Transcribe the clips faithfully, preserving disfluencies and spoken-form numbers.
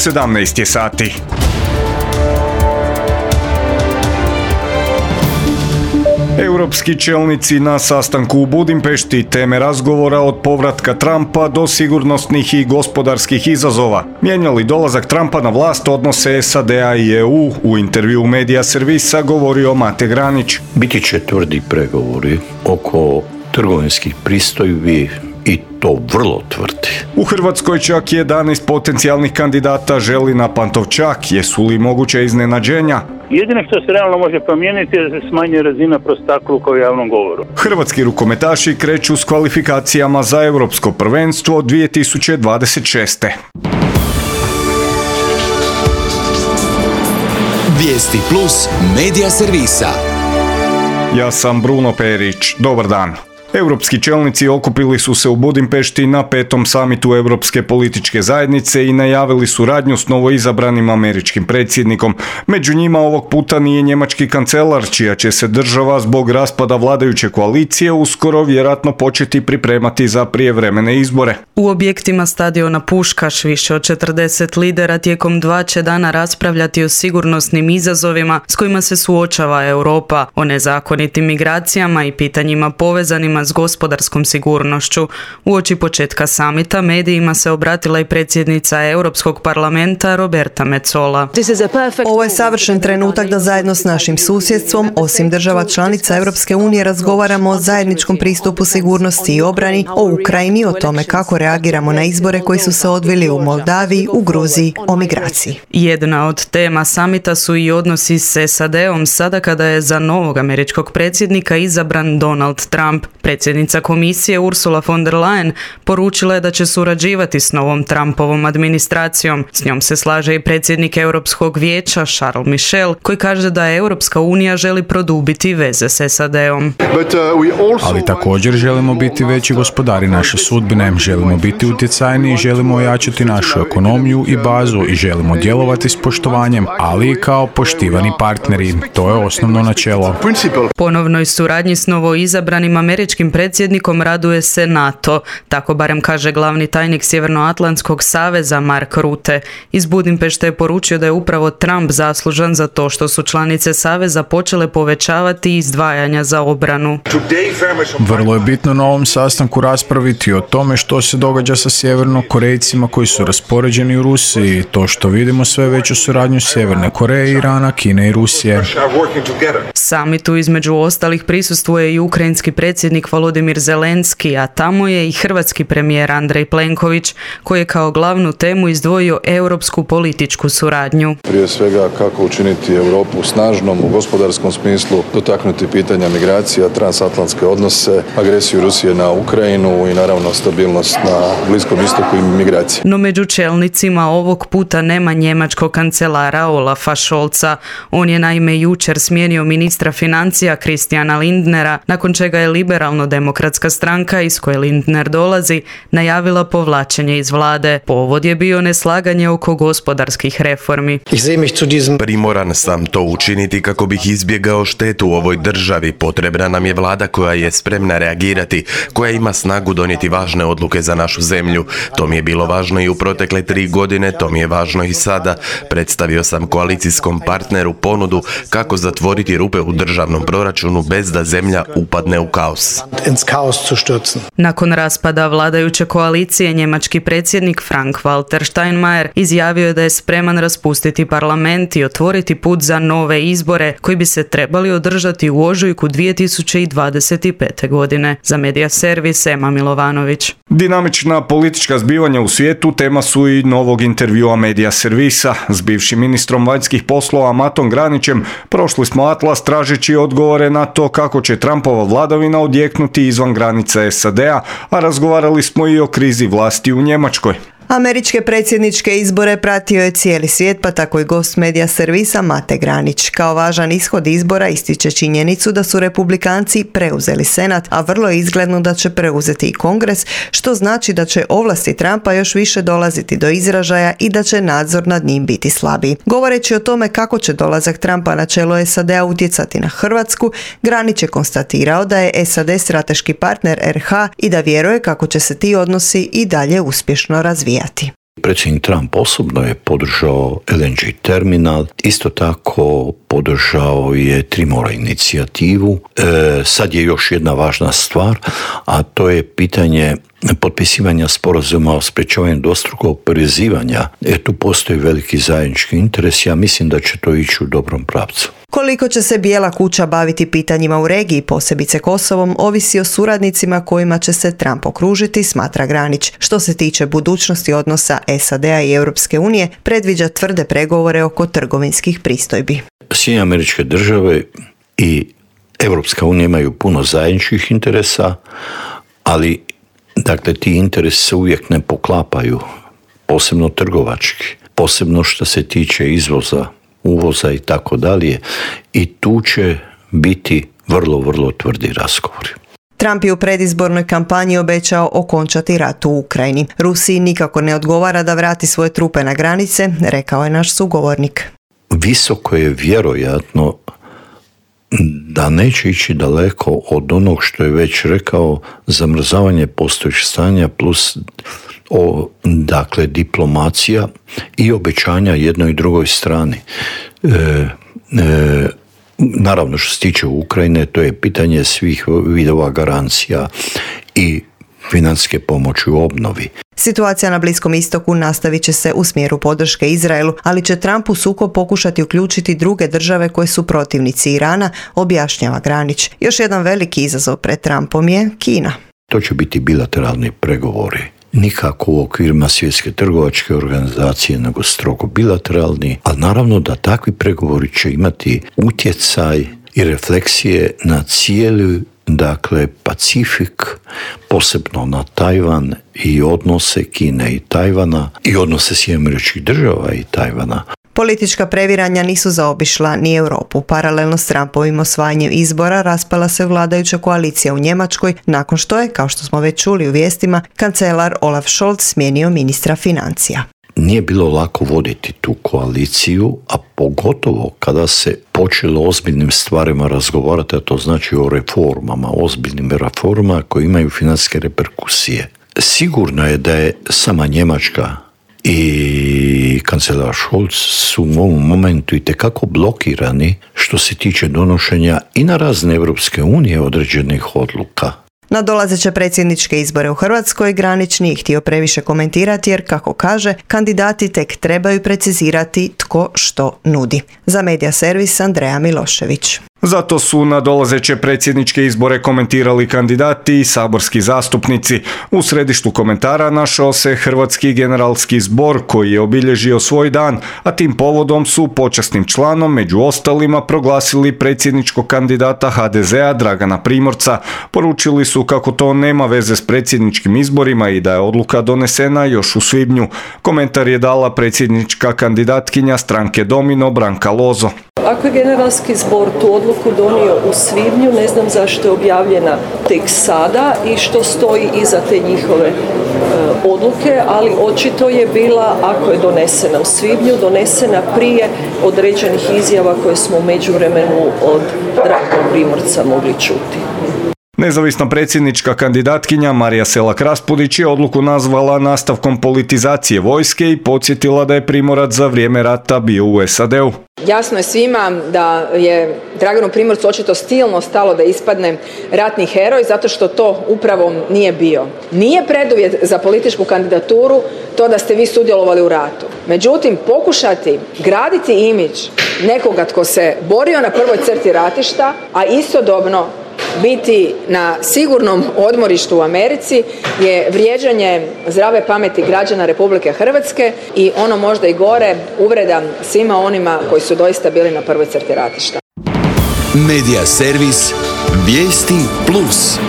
sedamnaest je sati. Europski čelnici na sastanku u Budimpešti, teme razgovora od povratka Trumpa do sigurnosnih i gospodarskih izazova. Mijenja li dolazak Trumpa na vlast odnose S A D-a i E U? U intervju Medija Servisa govorio Mate Granić. Biti će tvrdi pregovori oko trgovinskih pristojbi i to vrlo tvrdi. U Hrvatskoj čak jedanaest potencijalnih kandidata želi na Pantovčak. Jesu li moguće iznenađenja? Jedino što se realno može promijeniti je da se smanjuje razina prostakluka u javnom govoru. Hrvatski rukometaši kreću s kvalifikacijama za Europsko prvenstvo dvije tisuće dvadeset šeste. Vijesti plus Medija Servisa. Ja sam Bruno Perić. Dobar dan. Europski čelnici okupili su se u Budimpešti na petom samitu Europske političke zajednice i najavili suradnju s novoizabranim američkim predsjednikom. Među njima ovog puta nije njemački kancelar, čija će se država zbog raspada vladajuće koalicije uskoro vjerojatno početi pripremati za prijevremene izbore. U objektima stadiona Puškaš više od četrdeset lidera tijekom dva će dana raspravljati o sigurnosnim izazovima s kojima se suočava Europa, o nezakonitim migracijama i pitanjima povezanima s gospodarskom sigurnošću. Uoči početka samita medijima se obratila i predsjednica Europskog parlamenta Roberta Metsola. Ovo je savršen trenutak da zajedno s našim susjedstvom, osim država članica Europske unije, razgovaramo o zajedničkom pristupu sigurnosti i obrani, o Ukrajini, o tome kako reagiramo na izbore koji su se odvili u Moldaviji, u Gruziji, o migraciji. Jedna od tema samita su i odnosi s S A D-om sada kada je za novog američkog predsjednika izabran Donald Trump. Predsjednica komisije Ursula von der Leyen poručila je da će surađivati s novom Trumpovom administracijom. S njom se slaže i predsjednik Europskog vijeća Charles Michel, koji kaže da Europska unija želi produbiti veze s S A D-om. Ali također želimo biti veći gospodari naše sudbine, želimo biti utjecajniji, želimo ojačati našu ekonomiju i bazu i želimo djelovati s poštovanjem, ali i kao poštivani partneri. To je osnovno načelo. Ponovnoj suradnji s novoizabranim američkim predsjednikom raduje se NATO, tako barem kaže glavni tajnik Sjevernoatlantskog saveza Mark Rutte. Iz Budimpešte je poručio da je upravo Trump zaslužan za to što su članice saveza počele povećavati izdvajanja za obranu. Vrlo je bitno na ovom sastanku raspraviti o tome što se događa sa Sjevernokorejcima koji su raspoređeni u Rusiji, to što vidimo sve veću suradnju Sjeverne Koreje, Irana, Kine i Rusije. Samitu između ostalih prisustvuje i ukrajinski predsjednik Volodimir Zelenski, a tamo je i hrvatski premijer Andrej Plenković, koji je kao glavnu temu izdvojio europsku političku suradnju. Prije svega kako učiniti Europu snažnom u gospodarskom smislu, dotaknuti pitanja migracija, transatlantske odnose, agresiju Rusije na Ukrajinu i naravno stabilnost na Bliskom istoku i migracije. No među čelnicima ovog puta nema njemačkog kancelara Olafa Scholza. On je naime jučer smijenio ministra financija Christiana Lindnera, nakon čega je Liberalno-demokratska stranka iz koje Lindner dolazi najavila povlačenje iz vlade. Povod je bio neslaganje oko gospodarskih reformi. Primoran sam to učiniti kako bih izbjegao štetu u ovoj državi. Potrebna nam je vlada koja je spremna reagirati, koja ima snagu donijeti važne odluke za našu zemlju. To mi je bilo važno i u protekle tri godine, to mi je važno i sada. Predstavio sam koalicijskom partneru ponudu kako zatvoriti rupe u državnom proračunu bez da zemlja upadne u kaos. Nakon raspada vladajuće koalicije, njemački predsjednik Frank-Walter Steinmeier izjavio je da je spreman raspustiti parlament i otvoriti put za nove izbore koji bi se trebali održati u ožujku dvije tisuće dvadeset pete. godine. Za Medija Servis, Ema Milovanović. Dinamična politička zbivanja u svijetu tema su i novog intervjua Medija Servisa. S bivšim ministrom vanjskih poslova Matom Granićem prošli smo atlas tražeći odgovore na to kako će Trumpova vladavina odjeknuti izvan granica S A D-a, a razgovarali smo i o krizi vlasti u Njemačkoj. Američke predsjedničke izbore pratio je cijeli svijet, pa tako i gost Medija Servisa Mate Granić. Kao važan ishod izbora ističe činjenicu da su republikanci preuzeli Senat, a vrlo je izgledno da će preuzeti i Kongres, što znači da će ovlasti Trumpa još više dolaziti do izražaja i da će nadzor nad njim biti slabiji. Govoreći o tome kako će dolazak Trumpa na čelo S A D-a utjecati na Hrvatsku, Granić je konstatirao da je S A D strateški partner R H i da vjeruje kako će se ti odnosi i dalje uspješno razvijati. Predsjednik Trump osobno je podržao L N G terminal, isto tako podržao je Tri mora inicijativu. E, sad je još jedna važna stvar, a to je pitanje potpisivanja sporazuma o sprečavanju dvostrukog oporezivanja. E, tu postoji veliki zajednički interes, ja mislim da će to ići u dobrom pravcu. Koliko će se Bijela kuća baviti pitanjima u regiji, posebice Kosovom, ovisi o suradnicima kojima će se Trump okružiti, smatra Granić. Što se tiče budućnosti odnosa S A D-a i Europske unije, predviđa tvrde pregovore oko trgovinskih pristojbi. Sjedinjene Američke Države i Europska unija imaju puno zajedničkih interesa, ali dakle ti interesi se uvijek ne poklapaju, posebno trgovački, posebno što se tiče izvoza, uvoza i tako dalje, i tu će biti vrlo, vrlo tvrdi razgovori. Trump je u predizbornoj kampanji obećao okončati rat u Ukrajini. Rusiji nikako ne odgovara da vrati svoje trupe na granice, rekao je naš sugovornik. Visoko je vjerojatno da neće ići daleko od onog što je već rekao, zamrzavanje postojećeg stanja plus o, dakle, diplomacija i obećanja jednoj i drugoj strani. E, e, naravno što se tiče Ukrajine, to je pitanje svih vidova garancija i financijske pomoći u obnovi. Situacija na Bliskom istoku nastavit će se u smjeru podrške Izraelu, ali će Trump u sukob pokušati uključiti druge države koje su protivnici Irana, objašnjava Granić. Još jedan veliki izazov pred Trumpom je Kina. To će biti bilateralni pregovori. Nikako u okvirima Svjetske trgovačke organizacije, nego strogo bilateralni, ali naravno da takvi pregovori će imati utjecaj i refleksije na cijeli, dakle, Pacifik, posebno na Tajvan i odnose Kine i Tajvana i odnose Sjedinjenih Američkih Država i Tajvana. Politička previranja nisu zaobišla ni Europu. Paralelno s Trumpovim osvajanjem izbora raspala se vladajuća koalicija u Njemačkoj nakon što je, kao što smo već čuli u vijestima, kancelar Olaf Scholz smijenio ministra financija. Nije bilo lako voditi tu koaliciju, a pogotovo kada se počelo ozbiljnim stvarima razgovarati, a to znači o reformama, ozbiljnim reformama koje imaju financijske reperkusije. Sigurno je da je sama Njemačka i kancelar Scholz su u ovom momentu itekako blokirani što se tiče donošenja i na razne Europske unije određenih odluka. Na dolazeće predsjedničke izbore u Hrvatskoj Granić nije htio previše komentirati jer, kako kaže, kandidati tek trebaju precizirati tko što nudi. Za Medija servis Andreja Milošević. Zato su na dolazeće predsjedničke izbore komentirali kandidati i saborski zastupnici. U središtu komentara našao se Hrvatski generalski zbor koji je obilježio svoj dan, a tim povodom su počasnim članom među ostalima proglasili predsjedničkog kandidata H D Z-a Dragana Primorca. Poručili su kako to nema veze s predsjedničkim izborima i da je odluka donesena još u svibnju. Komentar je dala predsjednička kandidatkinja stranke Domino Branka Lozo. Ako je generalski zbor tu odluku donio u svibnju, ne znam zašto je objavljena tek sada i što stoji iza te njihove e, odluke, ali očito je bila, ako je donesena u svibnju, donesena prije određenih izjava koje smo u međuvremenu od Dragana Primorca mogli čuti. Nezavisna predsjednička kandidatkinja Marija Selak Raspudić je odluku nazvala nastavkom politizacije vojske i podsjetila da je Primorac za vrijeme rata bio u S A D-u. Jasno je svima da je Draganu Primorcu očito stilno stalo da ispadne ratni heroj zato što to upravo nije bio. Nije preduvjet za političku kandidaturu to da ste vi sudjelovali u ratu. Međutim, pokušati graditi imidž nekoga tko se borio na prvoj crti ratišta, a istodobno biti na sigurnom odmorištu u Americi je vrijeđanje zdrave pameti građana Republike Hrvatske i ono možda i gore, uvreda svima onima koji su doista bili na prvoj crti ratišta. Medija servis Vijesti Plus.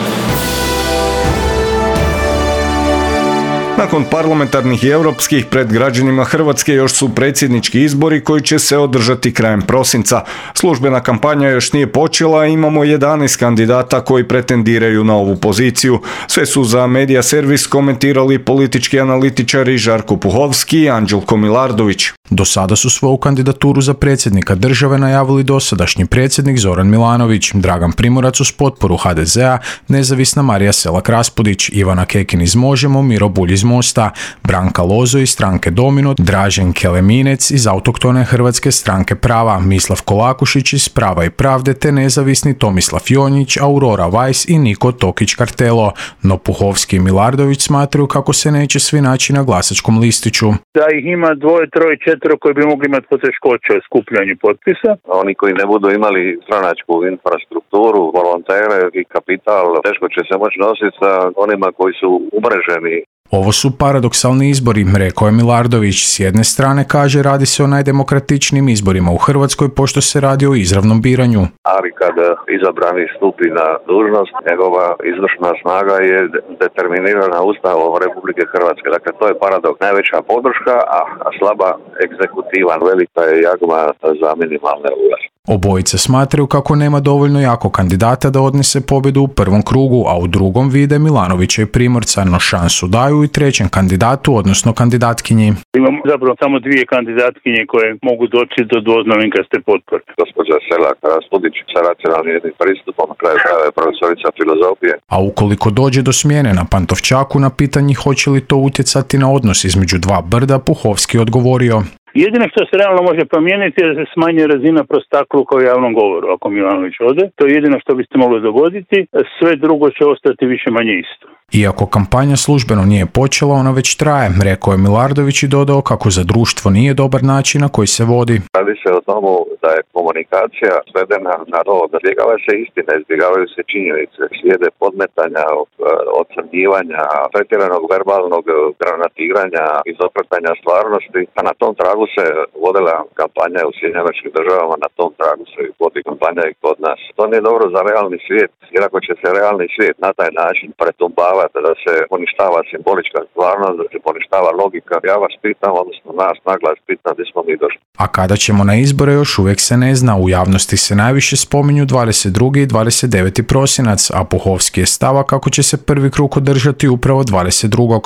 Nakon parlamentarnih i europskih pred građanima Hrvatske još su predsjednički izbori koji će se održati krajem prosinca. Službena kampanja još nije počela, imamo jedanaest kandidata koji pretendiraju na ovu poziciju. Sve su za Medija servis komentirali politički analitičari Žarko Puhovski i Anđelko Milardović. Do sada su svoju kandidaturu za predsjednika države najavili dosadašnji predsjednik Zoran Milanović, Dragan Primorac uz potporu H D Z-a, nezavisna Marija Selak Raspudić, Ivana Kekin iz Možemo, Miro Bulj iz Mosta, Branka Lozo iz stranke Domino, Dražen Keleminec iz autohtone Hrvatske stranke Prava, Mislav Kolakušić iz Prava i Pravde te nezavisni Tomislav Jonjić, Aurora Weiss i Niko Tokić Kartelo, no Puhovski i Milardović smatraju kako se neće svi naći na glasačkom listiću. Da ih ima dvoje, troje, četiri koji bi mogli imati poteškoće u skupljanju potpisa. Oni koji ne budu imali stranačku infrastrukturu, volontere i kapital, teško će se moći nositi sa onima koji su umreženi. Ovo su paradoksalni izbori, rekao je Milardović. S jedne strane kaže radi se o najdemokratičnijim izborima u Hrvatskoj pošto se radi o izravnom biranju. Ali kada izabrani stupi na dužnost, njegova izvršna snaga je determinirana Ustavom Republike Hrvatske. Dakle, to je paradoks. Najveća podrška, a slaba egzekutiva. Velika je jagma za minimalne ovlasti. Obojice smatraju kako nema dovoljno jako kandidata da odnese pobjedu u prvom krugu, a u drugom vide Milanovića i Primorca, no šansu daju i trećem kandidatu, odnosno kandidatkinji. Imamo zapravo samo dvije kandidatkinje koje mogu doći do dvoznamenkaste potpore. Gospođa Selak Raspudić sa racionalnim jednim pristupom, na kraju krajeva je profesorica filozofije. A ukoliko dođe do smjene na Pantovčaku, na pitanje hoće li to utjecati na odnos između dva brda, Puhovski odgovorio: Jedino što se realno može promijeniti je da se smanji razina prostakluka u javnom govoru ako Milanović ode. To je jedino što bi se moglo dogoditi, sve drugo će ostati više manje isto. Iako kampanja službeno nije počela, ona već traje, rekao je Milardović i dodao kako za društvo nije dobar način na koji se vodi. Radi se o tomu da je komunikacija svedena na to da izbjegavaju se istine, izbjegavaju se činjenice, slijede podmetanja, ocrnjivanja, pretjeranog verbalnog granatiranja, izokretanja stvarnosti, a na tom tragu se vodila kampanja u Sjedinjenim Američkim Državama, na tom tragu se vodi kampanja i kod nas. To nije dobro za realni svijet, jer ako će se realni svijet na taj način pretumbavati, da se poništava simbolička stvarnost, da se poništava logika, ja vas pitam, odnosno nas naglas pitam gdje smo mi došli. A kada ćemo na izbore još uvijek se ne zna, u javnosti se najviše spominju dvadeset drugi i dvadeset deveti prosinac, a Puhovski je stava kako će se prvi krug održati upravo dvadeset drugog.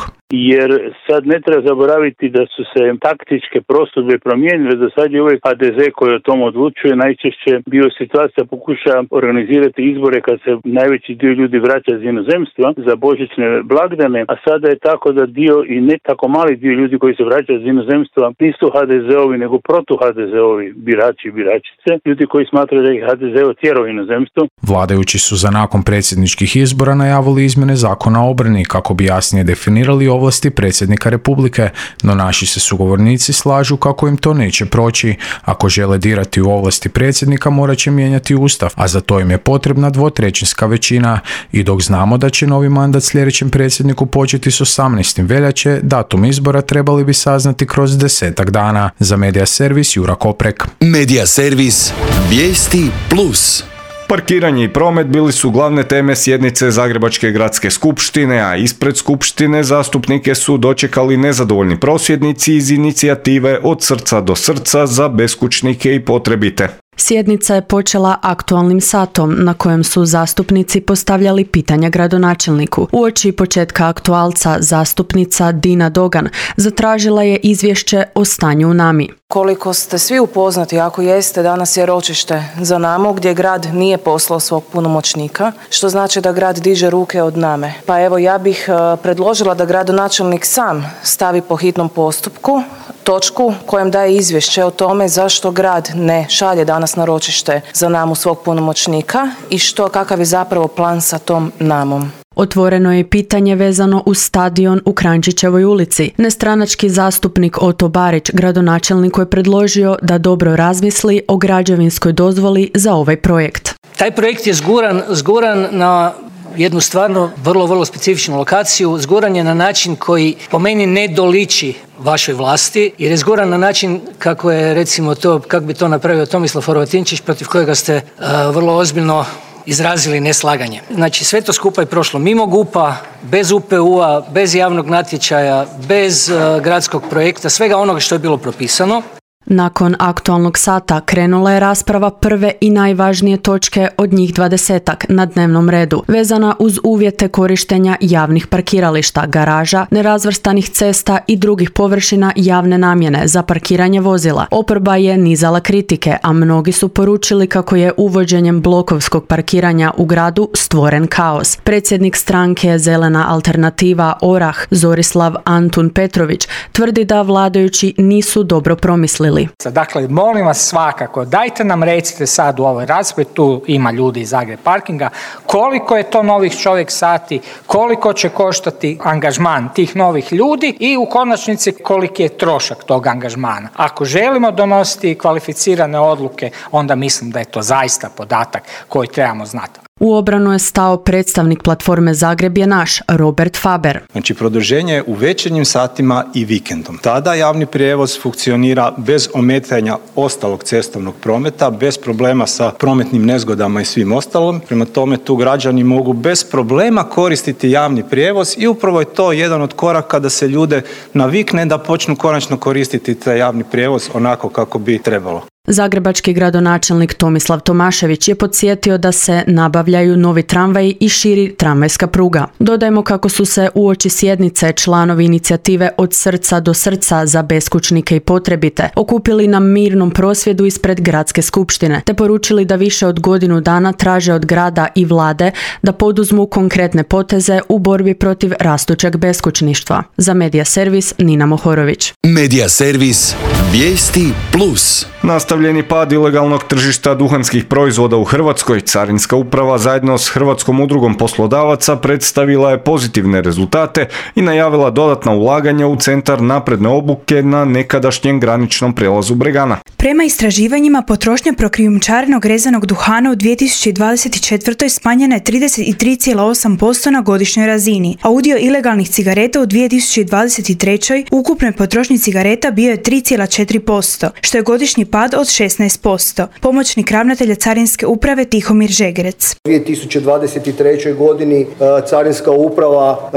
Jer sad ne treba zaboraviti da su se taktičke prosudbe promijenile, da sad je uvijek H D Z koji o tom odlučuje, najčešće bio situacija pokuša organizirati izbore kad se najveći dio ljudi vraća iz inozemstva za božićne blagdane, a sada je tako da dio i ne tako mali dio ljudi koji se vraćaju iz inozemstva nisu H D Z-ovi nego protu H D Z-ovi birači i biračice, ljudi koji smatraju da ih H D Z otjerao u inozemstvo. Vladajući su za nakon predsjedničkih izbora najavili izmjene zakona o obrani kako bi jasnije definirali ovlasti predsjednika Republike, no naši se sugovornici slažu kako im to neće proći. Ako žele dirati u ovlasti predsjednika, morat će mijenjati Ustav, a za to im je potrebna dvotrećinska većina. I dok znamo da će novi mandat sljedećem predsjedniku početi s osamnaestog veljače, datum izbora trebali bi saznati kroz desetak dana. Za Medija servis Jura Koprek. Medija servis Vijesti plus. Parkiranje i promet bili su glavne teme sjednice Zagrebačke gradske skupštine, a ispred skupštine zastupnike su dočekali nezadovoljni prosvjednici iz inicijative Od srca do srca za beskućnike i potrebite. Sjednica je počela aktualnim satom na kojem su zastupnici postavljali pitanja gradonačelniku. Uoči početka aktualca zastupnica Dina Dogan zatražila je izvješće o stanju u Nami. Koliko ste svi upoznati, ako jeste, danas je ročište za Namu gdje grad nije poslao svog punomoćnika, što znači da grad diže ruke od Name. Pa evo, ja bih predložila da gradonačelnik sam stavi po hitnom postupku točku kojem daje izvješće o tome zašto grad ne šalje danas na ročište za Namu svog punomoćnika i što, kakav je zapravo plan sa tom Namom. Otvoreno je pitanje vezano uz stadion u Kranjčićevoj ulici. Nestranački zastupnik Oto Barić gradonačelniku je predložio da dobro razmisli o građevinskoj dozvoli za ovaj projekt. Taj projekt je zguran, zguran na jednu stvarno vrlo, vrlo specifičnu lokaciju. Zguran je na način koji po meni ne doliči vašoj vlasti, jer je zguran na način kako je, recimo to, kako bi to napravio Tomislav Horvatinčić, protiv kojega ste uh, vrlo ozbiljno izrazili neslaganje. Znači, sve to skupa je prošlo mimo G U P-a, bez U P U-a, bez javnog natječaja, bez uh, gradskog projekta, svega onoga što je bilo propisano. Nakon aktualnog sata krenula je rasprava prve i najvažnije točke od njih dvadesetak na dnevnom redu, vezana uz uvjete korištenja javnih parkirališta, garaža, nerazvrstanih cesta i drugih površina javne namjene za parkiranje vozila. Oporba je nizala kritike, a mnogi su poručili kako je uvođenjem blokovskog parkiranja u gradu stvoren kaos. Predsjednik stranke Zelena alternativa Orah Zorislav Antun Petrović tvrdi da vladajući nisu dobro promislili. Dakle, molim vas svakako, dajte nam recite sad u ovoj raspravi, tu ima ljudi iz Zagreb parkinga, koliko je to novih čovjek sati, koliko će koštati angažman tih novih ljudi i u konačnici koliki je trošak tog angažmana. Ako želimo donositi kvalificirane odluke, onda mislim da je to zaista podatak koji trebamo znati. U obranu je stao predstavnik platforme Zagreb je naš, Robert Faber. Znači, produženje u večernjim satima i vikendom. Tada javni prijevoz funkcionira bez ometanja ostalog cestovnog prometa, bez problema sa prometnim nezgodama i svim ostalom. Prema tome, tu građani mogu bez problema koristiti javni prijevoz i upravo je to jedan od koraka da se ljude navikne da počnu konačno koristiti taj javni prijevoz onako kako bi trebalo. Zagrebački gradonačelnik Tomislav Tomašević je podsjetio da se nabavljaju novi tramvaji i širi tramvajska pruga. Dodajmo kako su se uoči sjednice članovi inicijative Od srca do srca za beskućnike i potrebite okupili na mirnom prosvjedu ispred gradske skupštine, te poručili da više od godinu dana traže od grada i vlade da poduzmu konkretne poteze u borbi protiv rastućeg beskućništva. Za Medija servis Nina Mohorović. Medija servis Vijesti plus. Nastavljeni pad ilegalnog tržišta duhanskih proizvoda u Hrvatskoj, Carinska uprava zajedno s Hrvatskom udrugom poslodavaca predstavila je pozitivne rezultate i najavila dodatna ulaganja u centar napredne obuke na nekadašnjem graničnom prijelazu Bregana. Prema istraživanjima, potrošnja prokrijumčarenog rezanog duhana u dvije tisuće dvadeset četvrtoj smanjena je trideset tri zarez osam posto na godišnjoj razini, a udio ilegalnih cigareta u dvije tisuće dvadeset trećoj ukupnoj potrošnji cigareta bio je tri zarez četiri posto, što je godišnji pad od šesnaest posto. Pomoćnik ravnatelja Carinske uprave Tihomir Žegrec. U dvije tisuće dvadeset trećoj godini Carinska uprava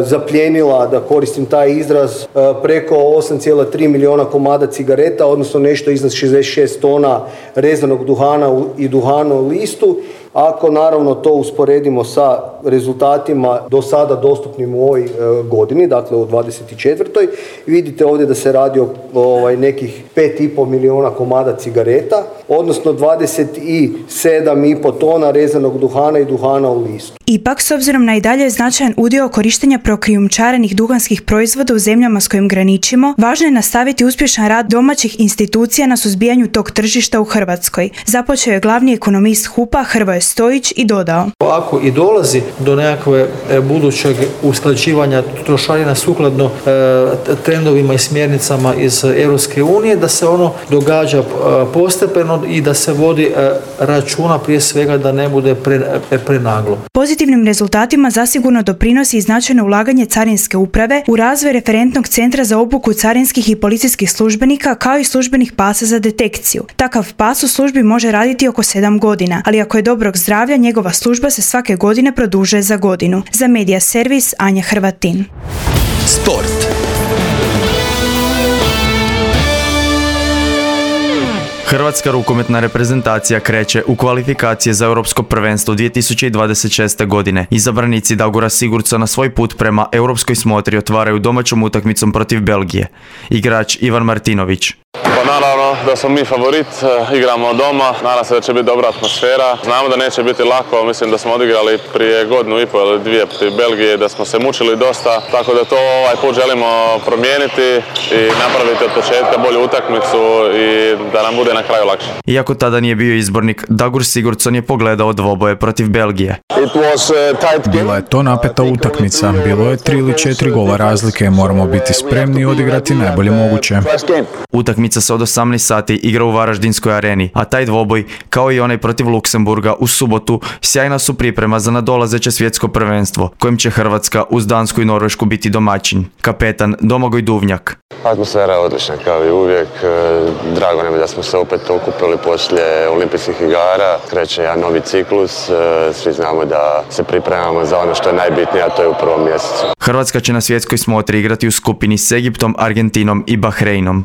zapljenila, da koristim taj izraz, preko osam zarez tri milijuna komada cigareta, odnosno nešto iznad šezdeset šest tona rezanog duhana i duhana u listu. Ako naravno to usporedimo sa rezultatima do sada dostupnim u ovoj e, godini, dakle u dvadeset četvrtoj vidite ovdje da se radi o ovaj, nekih pet i pol milijuna komada cigareta, odnosno dvadeset sedam i pol tona rezanog duhana i duhana u listu. Ipak, s obzirom na i dalje značajan udio korištenja prokrijumčarenih duhanskih proizvoda u zemljama s kojim graničimo, važno je nastaviti uspješan rad domaćih institucija na suzbijanju tog tržišta u Hrvatskoj. Započeo je glavni ekonomist H U P-a Hrvoje Stojić i dodao: Ako i dolazi do nekakve budućeg usklađivanja trošarina sukladno e, trendovima i smjernicama iz Europske unije, da se ono događa e, postepeno i da se vodi e, računa prije svega da ne bude pre, e, prenaglo. Pozitivnim rezultatima zasigurno doprinosi i značajno ulaganje Carinske uprave u razvoj referentnog centra za obuku carinskih i policijskih službenika, kao i službenih pasa za detekciju. Takav pas u službi može raditi oko sedam godina, ali ako je dobrog zdravlja, njegova služba se svake godine produžuje za godinu. Za Medija servis Anja Hrvatin. Sport. Hrvatska rukometna reprezentacija kreće u kvalifikacije za Europsko prvenstvo dvije tisuće dvadeset šeste. godine. Izabranici Dagora Sigurdsona svoj put prema europskoj smotri otvaraju domaćom utakmicom protiv Belgije. Igrač Ivan Martinović. Pa naravno da smo mi favorit, igramo doma, nadam se da će biti dobra atmosfera. Znamo da neće biti lako, mislim da smo odigrali prije godinu i pol ili dvije protiv Belgije, da smo se mučili dosta, tako da to ovaj put želimo promijeniti i napraviti od početka bolju utakmicu i da nam bude na kraju lakše. Iako tada nije bio izbornik, Dagur Sigurdsson je pogledao dvoboje protiv Belgije. Bila je to napeta utakmica, bilo je tri ili četiri gola razlike, moramo biti spremni i odigrati najbolje moguće. Utakmica se od osamnaest sati igra u Varaždinskoj areni, a taj dvoboj, kao i onaj protiv Luksemburga u subotu, sjajna su priprema za nadolazeće svjetsko prvenstvo, kojim će Hrvatska uz Dansku i Norvešku biti domaćin. Kapetan Domagoj Duvnjak. Atmosfera je odlična kao i uvijek, drago nam je da smo se opet okupili poslije olimpijskih igara, kreće jedan novi ciklus, svi znamo da se pripremamo za ono što je najbitnije, a to je u prvom mjesecu. Hrvatska će na svjetskoj smotri igrati u skupini s Egiptom, Argentinom i Bahreinom.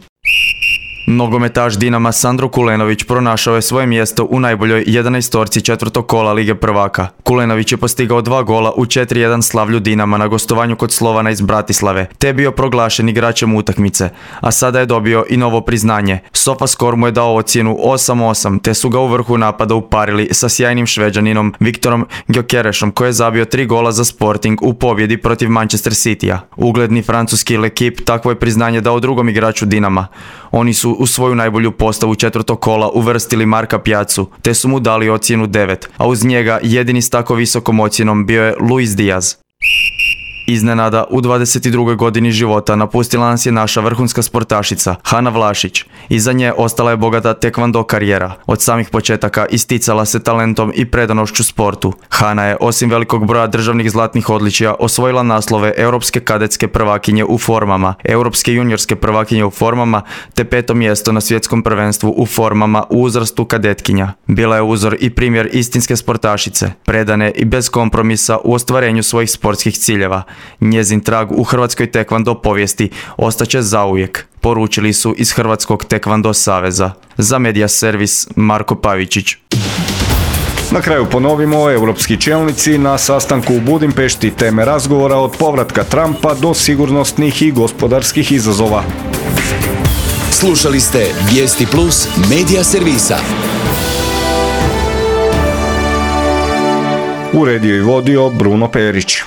Nogometaš Dinama Sandro Kulenović pronašao je svoje mjesto u najboljoj jedanaestorci četvrtog kola Lige prvaka. Kulenović je postigao dva gola u četiri jedan slavlju Dinama na gostovanju kod Slovana iz Bratislave, te je bio proglašen igračem utakmice, a sada je dobio i novo priznanje. SofaScore mu je dao ocjenu osam osam, te su ga u vrhu napada uparili sa sjajnim Šveđaninom Viktorom Gyokerešom, koji je zabio tri gola za Sporting u pobjedi protiv Manchester Citya. Ugledni francuski L'Equipe takvo je priznanje dao drugom igraču Dinama. Oni su u svoju najbolju postavu četvrtog kola uvrstili Marka Pjacu, te su mu dali ocjenu devet, a uz njega jedini s tako visokom ocjenom bio je Luis Diaz. Iznenada, u dvadeset drugoj godini života napustila nas je naša vrhunska sportašica, Hana Vlašić. Iza nje ostala je bogata tekvando karijera. Od samih početaka isticala se talentom i predanošću sportu. Hana je, osim velikog broja državnih zlatnih odličja, osvojila naslove europske kadetske prvakinje u formama, europske juniorske prvakinje u formama, te peto mjesto na svjetskom prvenstvu u formama u uzrastu kadetkinja. Bila je uzor i primjer istinske sportašice, predane i bez kompromisa u ostvarenju svojih sportskih ciljeva. Njezin trag u hrvatskoj tekvando povijesti ostaće zauvijek, poručili su iz Hrvatskog tekvando saveza. Za Media Servis Marko Pavičić. Na kraju ponovimo, europski čelnici na sastanku u Budimpešti teme razgovora od povratka Trumpa do sigurnosnih i gospodarskih izazova. Slušali ste Vijesti Plus Media Servisa. Uredio i vodio Bruno Perić.